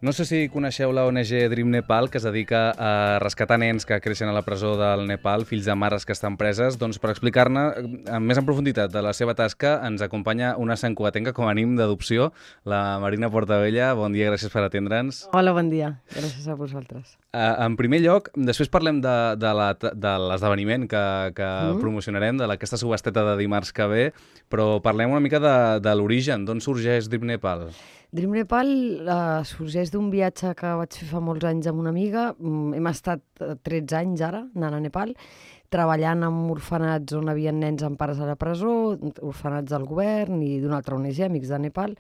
No sé si coneixeu la ONG Dream Nepal, que es dedica a rescatar nens que creixen a la presó del Nepal, fills de mares que estan preses. Doncs per explicar-ne més en profunditat de la seva tasca ens acompanya una santcugatenca com a ànim d'adopció, la Marina Portabella. Bon dia, gràcies per atendre'ns. Hola, bon dia. Gràcies a vosaltres. En primer lloc, després parlem de l'esdeveniment que promocionarem, d'aquesta subhasteta de dimarts que ve, però parlem una mica de l'origen, d'on sorgeix Dream Nepal. Dream Nepal sorgeix d'un viatge que vaig fer fa molts anys amb una amiga. Hem estat 13 anys ara, anant a Nepal, treballant en orfenats on hi havia nens amb pares a la presó, orfenats del govern i d'una altra ONG, Amics de Nepal,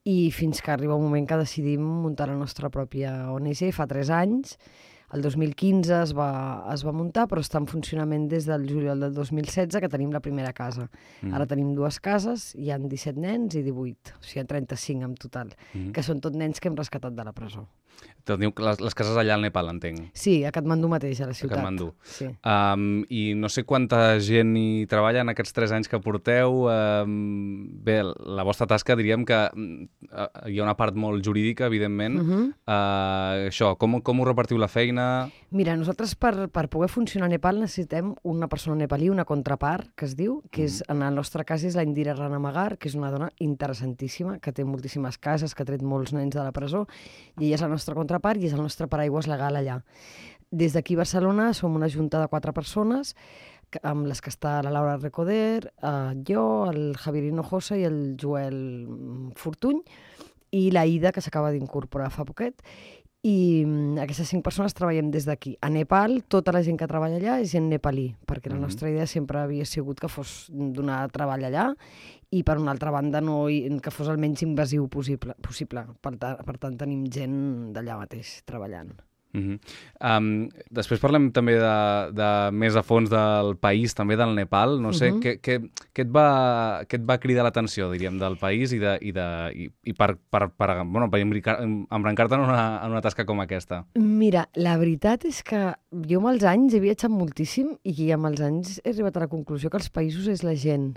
i fins que arriba un moment que decidim muntar la nostra pròpia ONG, fa 3 anys. El 2015 es va muntar, però està en funcionament des del juliol del 2016, que tenim la primera casa. Ara tenim 2 cases, hi ha 17 nens i 18, o sigui, 35 en total, que són tot nens que hem rescatat de la presó. Teniu les cases allà al Nepal, entenc. Sí, a Katmandú mateix, a la ciutat. A Katmandú. Sí. I no sé quanta gent hi treballa en aquests 3 anys que porteu. Bé, la vostra tasca diríem que hi ha una part molt jurídica, evidentment. Això, com ho repartiu la feina? Mira, nosaltres per poder funcionar a Nepal necessitem una persona nepalí, una contrapart, que es diu, que és, en el nostre cas és la Indira Ranamagar, que és una dona interessantíssima, que té moltíssimes cases, que ha tret molts nens de la presó, i ella és la nostra contrapart i és el nostre paraigües legal allà. Des d'aquí a Barcelona som una junta de 4 persones, amb les que està la Laura Recoder, jo, el Javier Hinojosa i el Joel Fortuny, i la Ida, que s'acaba d'incorporar fa poquet. I aquestes 5 persones treballem des d'aquí. A Nepal, tota la gent que treballa allà és gent nepalí, perquè la nostra idea sempre havia sigut que fos donar treball allà i, per una altra banda, que fos el menys invasiu possible. Per tant, tenim gent d'allà mateix treballant. Després parlem també de més a fons del país, també del Nepal. No sé, què et va cridar l'atenció, diríem, del país i per embrancar-te en una tasca com aquesta? Mira, la veritat és que jo amb els anys he viatjat moltíssim i amb els anys he arribat a la conclusió que els països és la gent.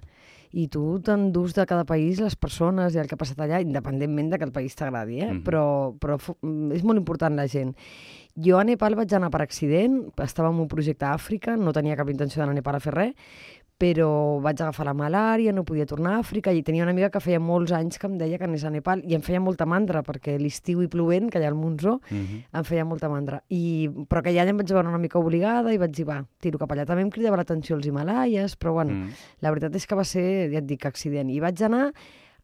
I tu t'endús de cada país les persones i el que ha passat allà, independentment de que el país t'agradi, però és molt important la gent. Jo a Nepal vaig anar per accident, estava en un projecte a Àfrica, no tenia cap intenció d'anar a Nepal a fer res, però vaig agafar la malària, no podia tornar a Àfrica, i tenia una amiga que feia molts anys que em deia que anés a Nepal, i em feia molta mandra, perquè l'estiu i plovent, que hi ha el monsó, em feia molta mandra. Però aquell any em vaig veure una mica obligada i vaig dir, va, tiro cap allà. També em cridava l'atenció els Himalaies, però bueno, la veritat és que va ser, ja et dic, accident. I vaig anar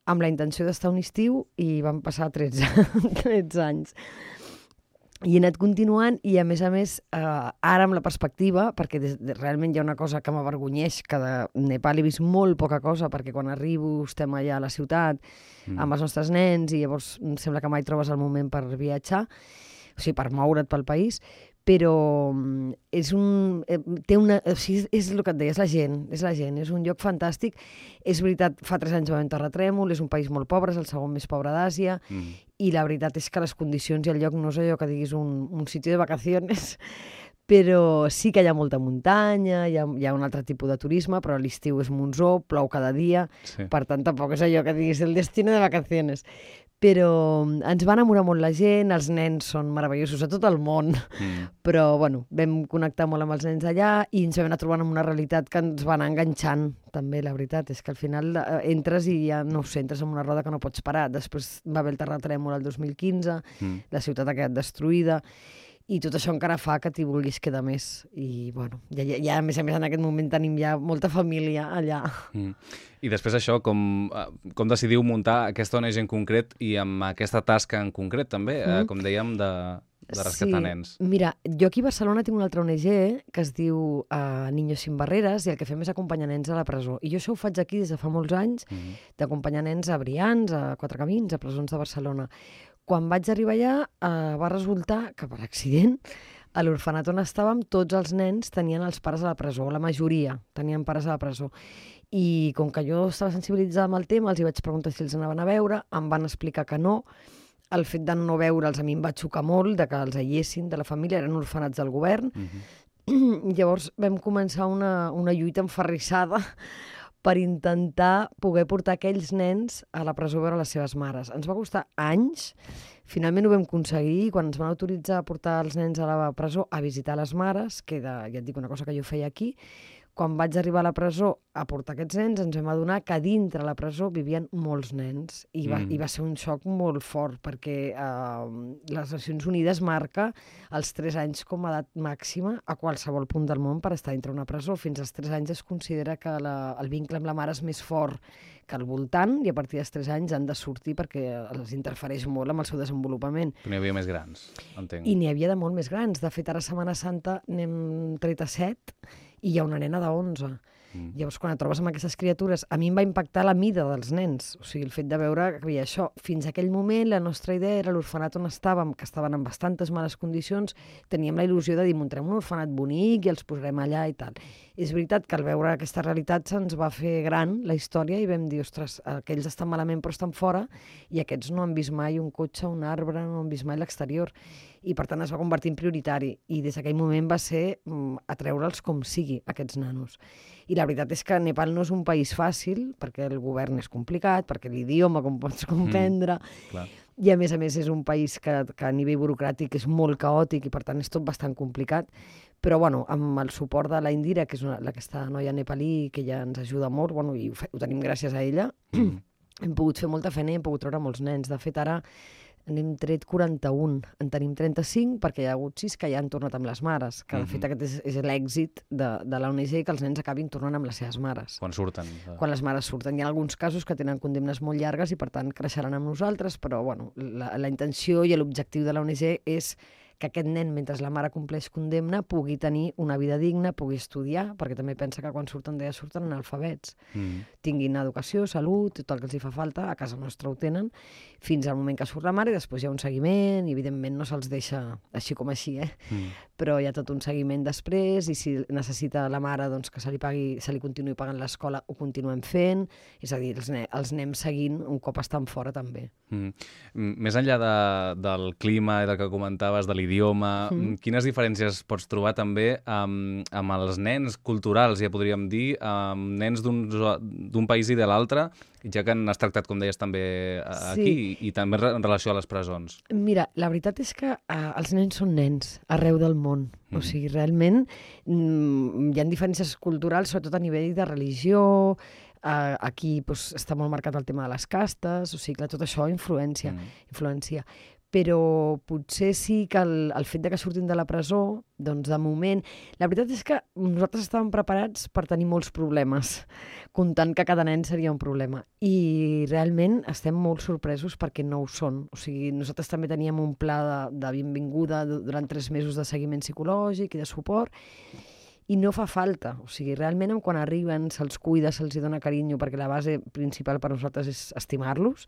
amb la intenció d'estar un estiu i van passar 13 anys. I he anat continuant i, a més, ara amb la perspectiva, perquè realment hi ha una cosa que m'avergonyeix, que de Nepal he vist molt poca cosa, perquè quan arribo estem allà a la ciutat amb els nostres nens i llavors em sembla que mai trobes el moment per viatjar, o sigui, per moure't pel país, però és el que et deia, és la gent, és un lloc fantàstic. És veritat, fa 3 anys va haver un terratrèmol, és un país molt pobre, és el segon més pobre d'Àsia, i la veritat és que les condicions i el lloc no és allò que diguis un sitio de vacaciones, però sí que hi ha molta muntanya, hi ha un altre tipus de turisme, però l'estiu és monsó, plou cada dia, per tant tampoc és allò que diguis el destino de vacaciones. Però ens va enamorar molt la gent, els nens són meravellosos a tot el món, però bueno, vam connectar molt amb els nens allà i ens vam anar trobant amb una realitat que ens va anar enganxant, també, la veritat. És que al final entres i ja, no ho sé, entres en una roda que no pots parar. Després va haver el terratrèmol el 2015, la ciutat ha quedat destruïda, i tot això encara fa que t'hi vulguis quedar més. I, bueno, ja a més en aquest moment tenim ja molta família allà. I després això, com decidiu muntar aquesta ONG en concret i amb aquesta tasca en concret, també, com dèiem, de rescatar nens? Mira, jo aquí a Barcelona tinc una altra ONG que es diu Niños sin Barreres, i el que fem és acompanyar nens a la presó. I jo això ho faig aquí des de fa molts anys, d'acompanyar nens a Brians, a Quatre Camins, a presons de Barcelona. Quan vaig arribar allà va resultar que, per accident, a l'orfenat on estàvem, tots els nens tenien els pares a la presó, la majoria tenien pares a la presó. I com que jo estava sensibilitzada amb el tema, els hi vaig preguntar si els anaven a veure, em van explicar que no. El fet de no veure'ls a mi em va xocar molt, de que els aïllessin de la família, eren orfenats del govern. Llavors vam començar una lluita enferrissada per intentar poder portar aquells nens a la presó a veure les seves mares. Ens va costar anys, finalment ho vam aconseguir, quan ens van autoritzar a portar els nens a la presó a visitar les mares, que era, ja et dic, una cosa que jo feia aquí. Quan vaig arribar a la presó a portar aquests nens, ens vam adonar que dintre la presó vivien molts nens. I va ser un xoc molt fort, perquè les Nacions Unides marca els 3 anys com a edat màxima a qualsevol punt del món per estar dintre una presó. Fins als 3 anys es considera que el vincle amb la mare és més fort que al voltant, i a partir dels 3 anys han de sortir perquè els interfereix molt amb el seu desenvolupament. N'hi havia més grans, entenc. I n'hi havia de molt més grans. De fet, ara a Setmana Santa n'hem tret a 7 i hi ha una nena de 11. Llavors, quan et trobes amb aquestes criatures, a mi em va impactar la mida dels nens. O sigui, el fet de veure que havia això. Fins a aquell moment, la nostra idea era l'orfenat on estàvem, que estaven en bastantes males condicions, teníem la il·lusió de dir, muntarem un orfenat bonic i els posarem allà i tal. És veritat que al veure aquesta realitat se'ns va fer gran la història i vam dir, ostres, aquells estan malament però estan fora i aquests no han vist mai un cotxe, un arbre, no han vist mai l'exterior. I per tant es va convertir en prioritari. I des d'aquell moment va ser atreure'ls com sigui, aquests nanos. I la veritat és que Nepal no és un país fàcil, perquè el govern és complicat, perquè l'idioma, com pots comprendre, i a més és un país que a nivell burocràtic és molt caòtic i per tant és tot bastant complicat. Però bueno, amb el suport de la Indira, que és aquesta noia nepalí que ja ens ajuda molt, bueno, i ho tenim gràcies a ella, hem pogut fer molta feina i hem pogut treure molts nens. De fet, ara n'hem tret 41, en tenim 35 perquè hi ha hagut 6 que ja han tornat amb les mares, que de fet aquest és l'èxit de la ONG, que els nens acabin tornant amb les seves mares. Quan surten. Quan les mares surten. Hi ha alguns casos que tenen condemnes molt llargues i per tant creixeran amb nosaltres, però bueno, la intenció i l'objectiu de la ONG és que aquest nen, mentre la mare compleix condemna, pugui tenir una vida digna, pugui estudiar, perquè també pensa que quan surten d'ella surten analfabets. Tinguin educació, salut, tot el que els hi fa falta, a casa nostra ho tenen, fins al moment que surt la mare, i després hi ha un seguiment, i evidentment no se'ls deixa així com així, però hi ha tot un seguiment després, i si necessita la mare doncs, que se li continuï pagant l'escola, ho continuem fent, és a dir, els anem seguint un cop estan fora també. Més enllà del clima i del que comentaves, de l'idioma, quines diferències pots trobar també amb els nens culturals, ja podríem dir, amb nens d'un país i de l'altre, ja que n'has tractat, com deies, també aquí, i també en relació a les presons? Mira, la veritat és que els nens són nens arreu del món. O sigui, realment hi ha diferències culturals, sobretot a nivell de religió. Aquí està molt marcat el tema de les castes, o sigui, tot això influència. Però potser sí que el fet de que surtin de la presó, doncs de moment... La veritat és que nosaltres estàvem preparats per tenir molts problemes, comptant que cada nen seria un problema. I realment estem molt sorpresos perquè no ho són. O sigui, nosaltres també teníem un pla de benvinguda durant 3 mesos de seguiment psicològic i de suport, i no fa falta. O sigui, realment quan arriben se'ls cuida, se'ls dona carinyo, perquè la base principal per nosaltres és estimar-los.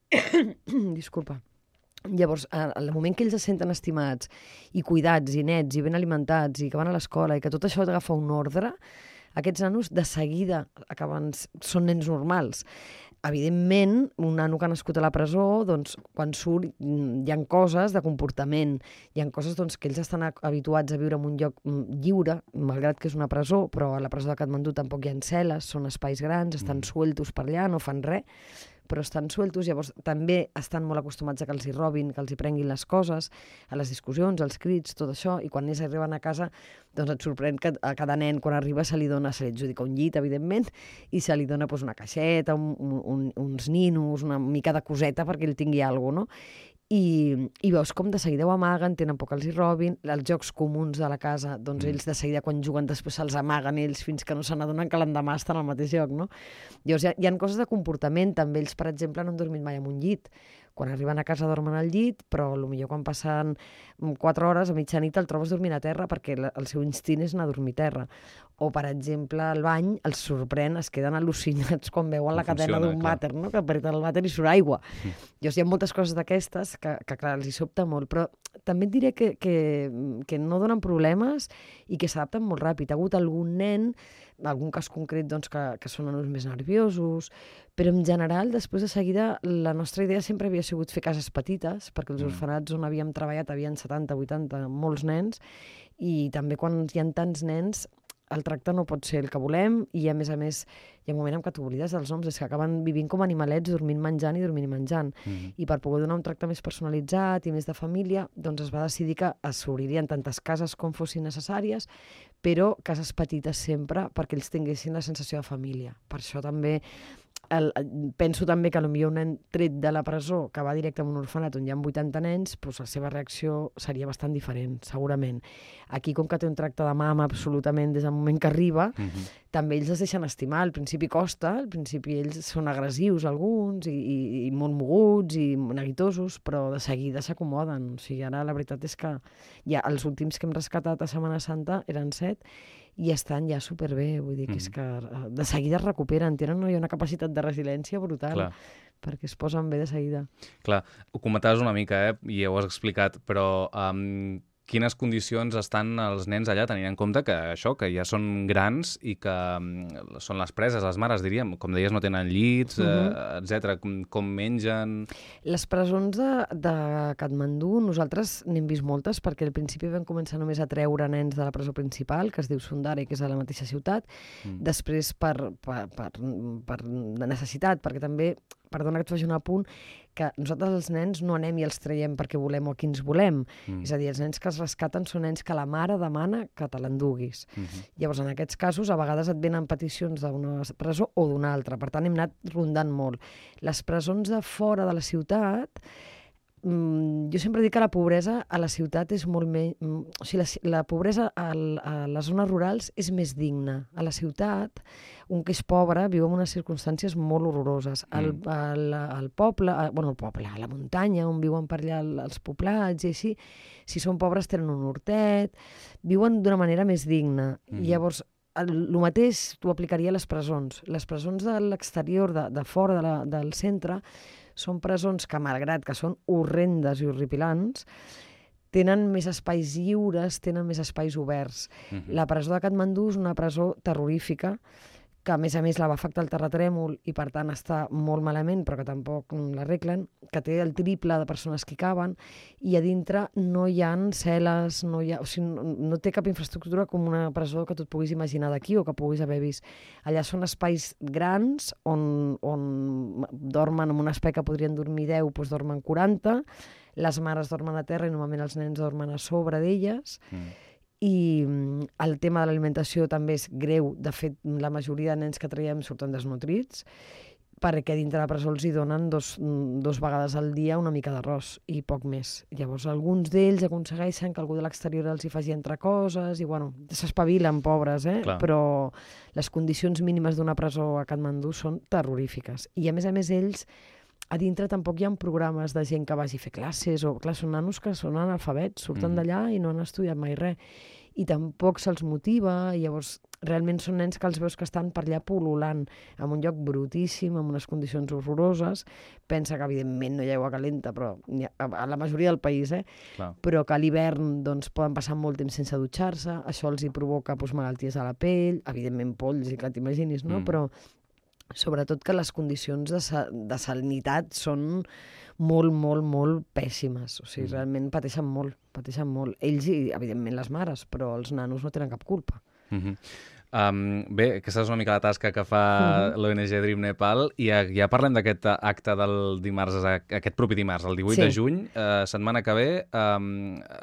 Disculpa. Llavors, al moment que ells es senten estimats i cuidats i nets i ben alimentats i que van a l'escola i que tot això agafa un ordre, aquests nanos de seguida són nens normals. Evidentment, un nano que ha nascut a la presó, doncs, quan surt hi ha coses de comportament, hi ha coses que ells estan habituats a viure en un lloc lliure, malgrat que és una presó, però a la presó de Katmandú tampoc hi ha cel·les, són espais grans, estan sueltos per allà, no fan res, però estan sueltos, llavors també estan molt acostumats a que els hi robin, que els hi prenguin les coses, a les discussions, als crits, tot això, i quan ells arriben a casa, doncs et sorprèn que a cada nen, quan arriba, se li adjudica un llit, evidentment, i se li dona una caixeta, uns ninos, una mica de coseta perquè ell tingui alguna cosa, no? I veus com de seguida ho amaguen, tenen por que els hi robin, els jocs comuns de la casa, doncs ells de seguida quan juguen després se'ls amaguen ells fins que no se n'adonen que l'endemà estan al mateix lloc, no? Llavors hi ha coses de comportament, també ells, per exemple, no han dormit mai en un llit. Quan arriben a casa dormen al llit, però potser quan passen 4 hores a mitjanit el trobes dormint a terra perquè el seu instint és anar a dormir a terra. O, per exemple, al bany els sorprèn, es queden al·lucinats quan veuen la cadena d'un vàter, no? Que apreten el vàter i surt aigua. Llavors hi ha moltes coses d'aquestes que clar, els hi sobta molt, però també et diré que no donen problemes i que s'adapten molt ràpid. Ha hagut algun nen, algun cas concret doncs, que són nanos més nerviosos, però en general, després de seguida, la nostra idea sempre havia sigut fer cases petites, perquè els orfenats on havíem treballat havien 70, 80, molts nens, i també quan hi ha tants nens, el tracte no pot ser el que volem i, a més, hi ha un moment en què t'oblides dels noms, és que acaben vivint com animalets, dormint menjant i dormint i menjant. I per poder donar un tracte més personalitzat i més de família, doncs es va decidir que s'obririen tantes cases com fossin necessàries, però cases petites sempre perquè ells tinguessin la sensació de família. Per això també penso també que potser un nen tret de la presó que va directe a un orfenat on hi ha 80 nens, doncs la seva reacció seria bastant diferent, segurament. Aquí, com que té un tracte de mama absolutament des del moment que arriba, també ells es deixen estimar. Al principi costa, al principi ells són agressius alguns i molt moguts i neguitosos, però de seguida s'acomoden. O sigui, ara la veritat és que ja els últims que hem rescatat a Setmana Santa eren 7 i estan ja superbé, vull dir que és que de seguida es recuperen, tenen una capacitat de resiliència brutal, perquè es posen bé de seguida. Clar, ho comentaves una mica, i ja ho has explicat, però quines condicions estan els nens allà, tenint en compte que això, que ja són grans i que són les preses, les mares, diríem, com deies, no tenen llits, etc. Com mengen... Les presons de Katmandú, nosaltres n'hem vist moltes, perquè al principi vam començar només a treure nens de la presó principal, que es diu Sundari, que és a la mateixa ciutat, després per necessitat, perquè també, perdona que et faci un apunt, que nosaltres els nens no anem i els traiem perquè volem o qui ens volem. És a dir, els nens que es rescaten són nens que la mare demana que te l'enduguis. Llavors, en aquests casos, a vegades et venen peticions d'una presó o d'una altra. Per tant, hem anat rondant molt. Les presons de fora de la ciutat, jo sempre dic que la pobresa a la ciutat és molt més... O sigui, la pobresa a les zones rurals és més digna. A la ciutat, un que és pobre viu en unes circumstàncies molt horroroses. Al poble, a la muntanya, on viuen per allà els poblats i així, si són pobres tenen un hortet, viuen d'una manera més digna. Llavors, el mateix t'ho aplicaria a les presons. Les presons de l'exterior, de fora del centre, són presons que, malgrat que són horrendes i horripilants, tenen més espais lliures, tenen més espais oberts. La presó de Katmandú és una presó terrorífica, que a més la va afectar el terratrèmol i per tant està molt malament, però que tampoc l'arreglen, que té el triple de persones que hi caben, i a dintre no hi ha cel·les, no té cap infraestructura com una presó que tu et puguis imaginar d'aquí o que puguis haver vist. Allà són espais grans on dormen en un espai que podrien dormir 10, doncs dormen 40, les mares dormen a terra i normalment els nens dormen a sobre d'elles, i el tema de l'alimentació també és greu. De fet, la majoria de nens que traiem surten desnutrits, perquè dintre la presó els hi donen dos vegades al dia una mica d'arròs i poc més. Llavors, alguns d'ells aconsegueixen que algú de l'exterior els hi faci entre coses i, bueno, s'espavilen, pobres, però les condicions mínimes d'una presó a Katmandú són terrorífiques. I, a més, ells a dintre tampoc hi ha programes de gent que vagi a fer classes, o clar, són nanos que són analfabets, surten d'allà i no han estudiat mai res, i tampoc se'ls motiva, i llavors realment són nens que els veus que estan per allà pul·lulant en un lloc brutíssim, en unes condicions horroroses. Pensa que evidentment no hi ha aigua calenta, però a la majoria del país, però que a l'hivern doncs, poden passar molt temps sense dutxar-se, això els hi provoca malalties a la pell, evidentment polls, i que t'imaginis, no? Però sobretot que les condicions de salinitat són molt, molt, molt pèssimes. O sigui, realment pateixen molt. Ells i, evidentment, les mares, però els nanos no tenen cap culpa. Bé, aquesta és una mica la tasca que fa l'ONG Dream Nepal, i ja parlem d'aquest acte del dimarts, aquest propi dimarts, el 18 de juny, setmana que ve.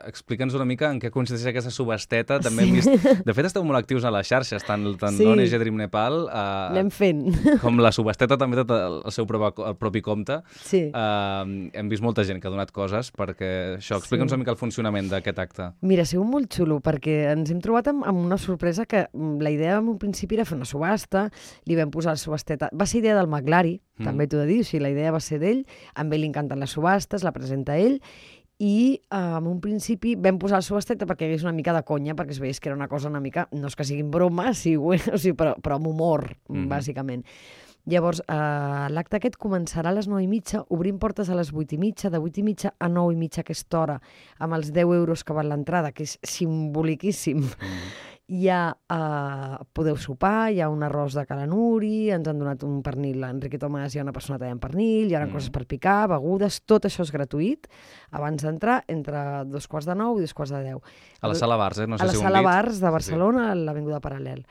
Explica'ns una mica en què consisteix aquesta subhasteta. També hem vist... De fet, esteu molt actius a les xarxes, tant l'ONG Dream Nepal anem fent. Com la subhasteta també tot el seu propi compte. Hem vist molta gent que ha donat coses perquè això. Explica'ns una mica el funcionament d'aquest acte. Mira, ha sigut molt xulo, perquè ens hem trobat amb una sorpresa que la idea en un principi era fer una subhasta, li vam posar la subhasteta. Va ser idea del Maglari, també t'ho he de dir, o sigui, la idea va ser d'ell, a ell li encanten les subhastes, la presenta ell, i en un principi vam posar la subhasteta perquè hi hagués una mica de conya, perquè es veiés que era una cosa una mica, no és que siguin bromes, però amb humor, bàsicament. Llavors, l'acte aquest començarà a les 9:30, obrim portes a les 8:30, de 8:30 a 9:30 aquesta hora, amb els 10 euros que val l'entrada, que és simboliquíssim. Podeu sopar, hi ha un arròs de calanuri, ens han donat un pernil, l'Enrique Tomàs hi ha una persona tallant pernil, hi ha coses per picar, begudes, tot això és gratuït, abans d'entrar, entre 2:45 i 2:45. A la Sala Bars, no sé a la si ho hem Sala dit. Bars de Barcelona, a l'Avinguda Paral·lel.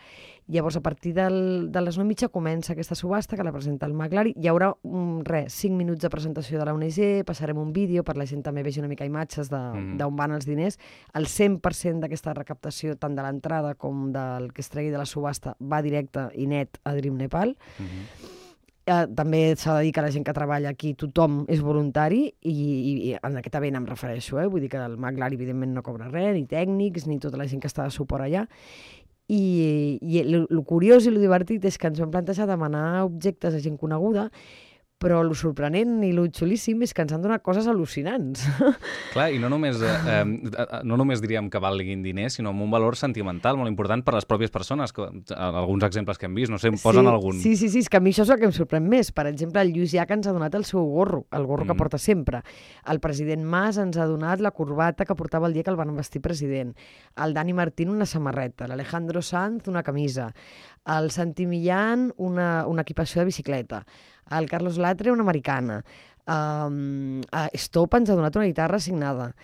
Llavors, a partir de les 9:30 comença aquesta subhasta que la presenta el Maglari. Hi haurà 5 minuts de presentació de la ONG, passarem un vídeo per la gent també vegi una mica imatges d'on van els diners. El 100% d'aquesta recaptació, tant de l'entrada com del que es tregui de la subhasta, va directe i net a Dream Nepal. També s'ha de dir que la gent que treballa aquí, tothom és voluntari i en aquest event em refereixo, vull dir que el Maglari evidentment no cobra res, ni tècnics, ni tota la gent que està de suport allà. I el curiós i el divertit és que ens vam plantejar demanar objectes a gent coneguda, però el sorprenent i el xulíssim és que ens han donat coses al·lucinants. Clar, i no només diríem que valguin diners, sinó amb un valor sentimental molt important per a les pròpies persones. Alguns exemples que hem vist, no sé, em posen algun. Sí, és que a mi això és el que em sorprèn més. Per exemple, el Lluís Llach ens ha donat el seu gorro, el gorro que porta sempre. El president Mas ens ha donat la corbata que portava el dia que el van vestir president. El Dani Martín una samarreta, l'Alejandro Sanz una camisa, el Santi Millán una equipació de bicicleta, el Carlos Latre una americana, Stop ens ha donat una guitarra signada,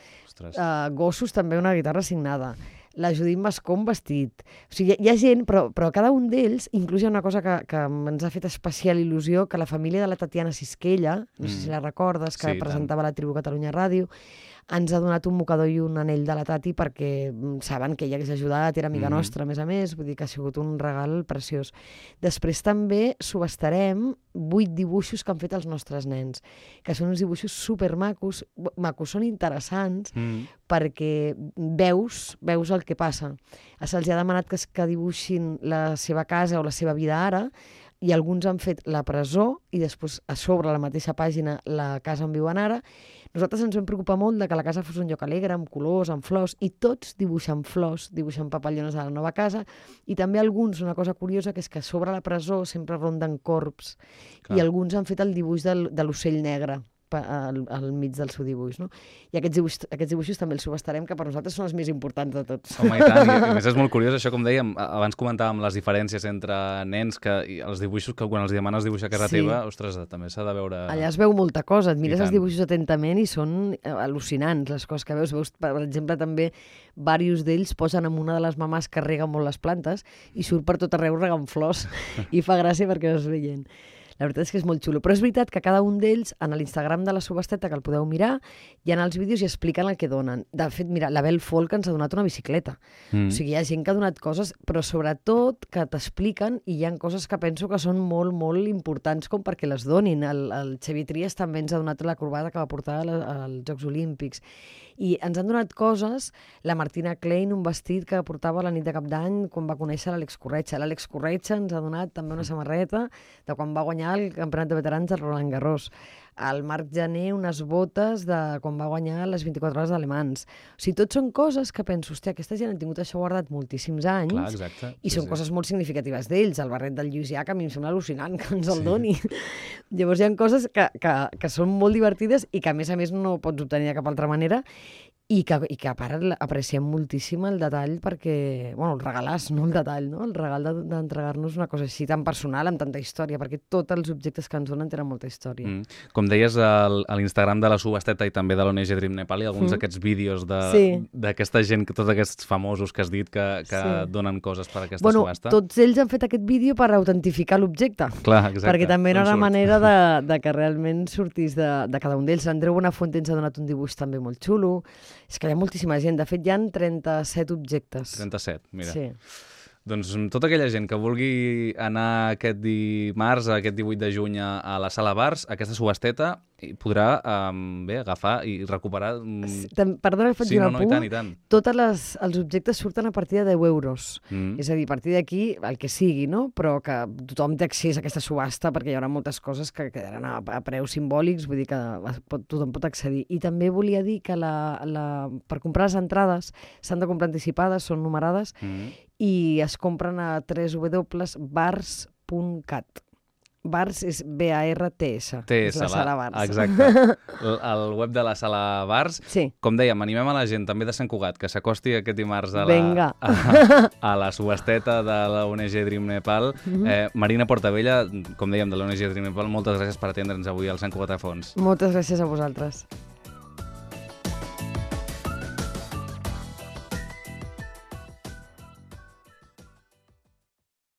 Gossos també una guitarra signada, la Judit Mascó un vestit. O sigui, hi ha gent, però cada un d'ells, inclús hi ha una cosa que ens ha fet especial il·lusió, que la família de la Tatiana Sisquella, no sé si la recordes, que presentava la Tribu Catalunya Ràdio, ens ha donat un mocador i un anell de la Tati perquè saben que ella hagués ajudat, era amiga nostra, a més, vull dir que ha sigut un regal preciós. Després també subhastarem 8 dibuixos que han fet els nostres nens, que són uns dibuixos supermacos, són interessants perquè veus el que passa. Se'ls ha demanat que dibuixin la seva casa o la seva vida ara, i alguns han fet la presó i després a sobre la mateixa pàgina la casa on viuen ara. Nosaltres ens vam preocupar molt de que la casa fos un lloc alegre, amb colors, amb flors, i tots dibuixen flors, dibuixen papallones a la nova casa, i també alguns, una cosa curiosa, que és que a sobre la presó sempre ronden corbs, i alguns han fet el dibuix de l'ocell negre al mig del seu dibuix, no? I aquests dibuixos també els subhastarem, que per nosaltres són els més importants de tots. Home, i tant, i a més és molt curiós això, com dèiem, abans comentàvem les diferències entre nens i els dibuixos, que quan els demanes dibuixar a casa teva, ostres, també s'ha de veure... Allà es veu molta cosa, et mires els dibuixos atentament i són al·lucinants les coses que veus. Per exemple, també diversos d'ells posen amb una de les mamàs que rega molt les plantes i surt per tot arreu regant flors i fa gràcia perquè es veient. La veritat és que és molt xulo. Però és veritat que cada un d'ells, en l'Instagram de la subhasteta, que el podeu mirar, hi ha els vídeos i expliquen el que donen. De fet, mira, la Bel Folk ens ha donat una bicicleta. O sigui, hi ha gent que ha donat coses, però sobretot que t'expliquen, i hi ha coses que penso que són molt, molt importants com perquè les donin. El Xavier Trias també ens ha donat la corbata que va portar als Jocs Olímpics. I ens han donat coses, la Martina Klein, un vestit que portava la nit de Cap d'Any quan va conèixer l'Àlex Corretja. L'Àlex Corretja ens ha donat també una samarreta de quan va guanyar el campionat de veterans del Roland Garros. El Marc Jané unes botes de quan va guanyar les 24 hores d'alemans. O sigui, tot són coses que penso, hòstia, aquesta gent ha tingut això guardat moltíssims anys. Clar, exacte. I són coses molt significatives d'ells. El barret del Lluís Llach a mi em sembla al·lucinant que ens el doni. Llavors hi ha coses que són molt divertides i que a més no pots obtenir de cap altra manera i que a part apreciem moltíssim el detall perquè, bueno, el regalàs, no el detall, no? El regal d'entregar-nos una cosa així tan personal, amb tanta història, perquè tots els objectes que ens donen tenen molta història. Com deies, a l'Instagram de la subhasteta i també de l'ONG Dream Nepal hi ha alguns d'aquests vídeos d'aquesta gent, tots aquests famosos que has dit que donen coses per a aquesta subhasta. Tots ells han fet aquest vídeo per autentificar l'objecte. Clar, exacte. Perquè també era una manera de que realment sortís de cada un d'ells. Andreu Buenafuente ens ha donat un dibuix també molt xulo. És que hi ha moltíssima gent. De fet, hi ha 37 objectes. 37, mira. Sí. Doncs tota aquella gent que vulgui anar aquest dimarts, aquest 18 de juny a la Sala Bars, aquesta subhasteta, podrà agafar i recuperar... Perdona, faig un apunt. I tant. Tots els objectes surten a partir de 10 euros. És a dir, a partir d'aquí, el que sigui, no? Però que tothom té accés a aquesta subhasta perquè hi haurà moltes coses que quedaran a preus simbòlics, vull dir que tothom pot accedir. I també volia dir que per comprar les entrades s'han de comprar anticipades, són numerades, i es compren a www.bars.cat. Bars és B-A-R-T-S. És la sala Bars. Exacte. El web de la sala Bars. Sí. Com dèiem, animem a la gent també de Sant Cugat que s'acosti aquest dimarts a la subhasteta de la ONG Dream Nepal. Marina Portabella, com dèiem, de l'ONG Dream Nepal, moltes gràcies per atendre'ns avui al Sant Cugat a Fons. Moltes gràcies a vosaltres.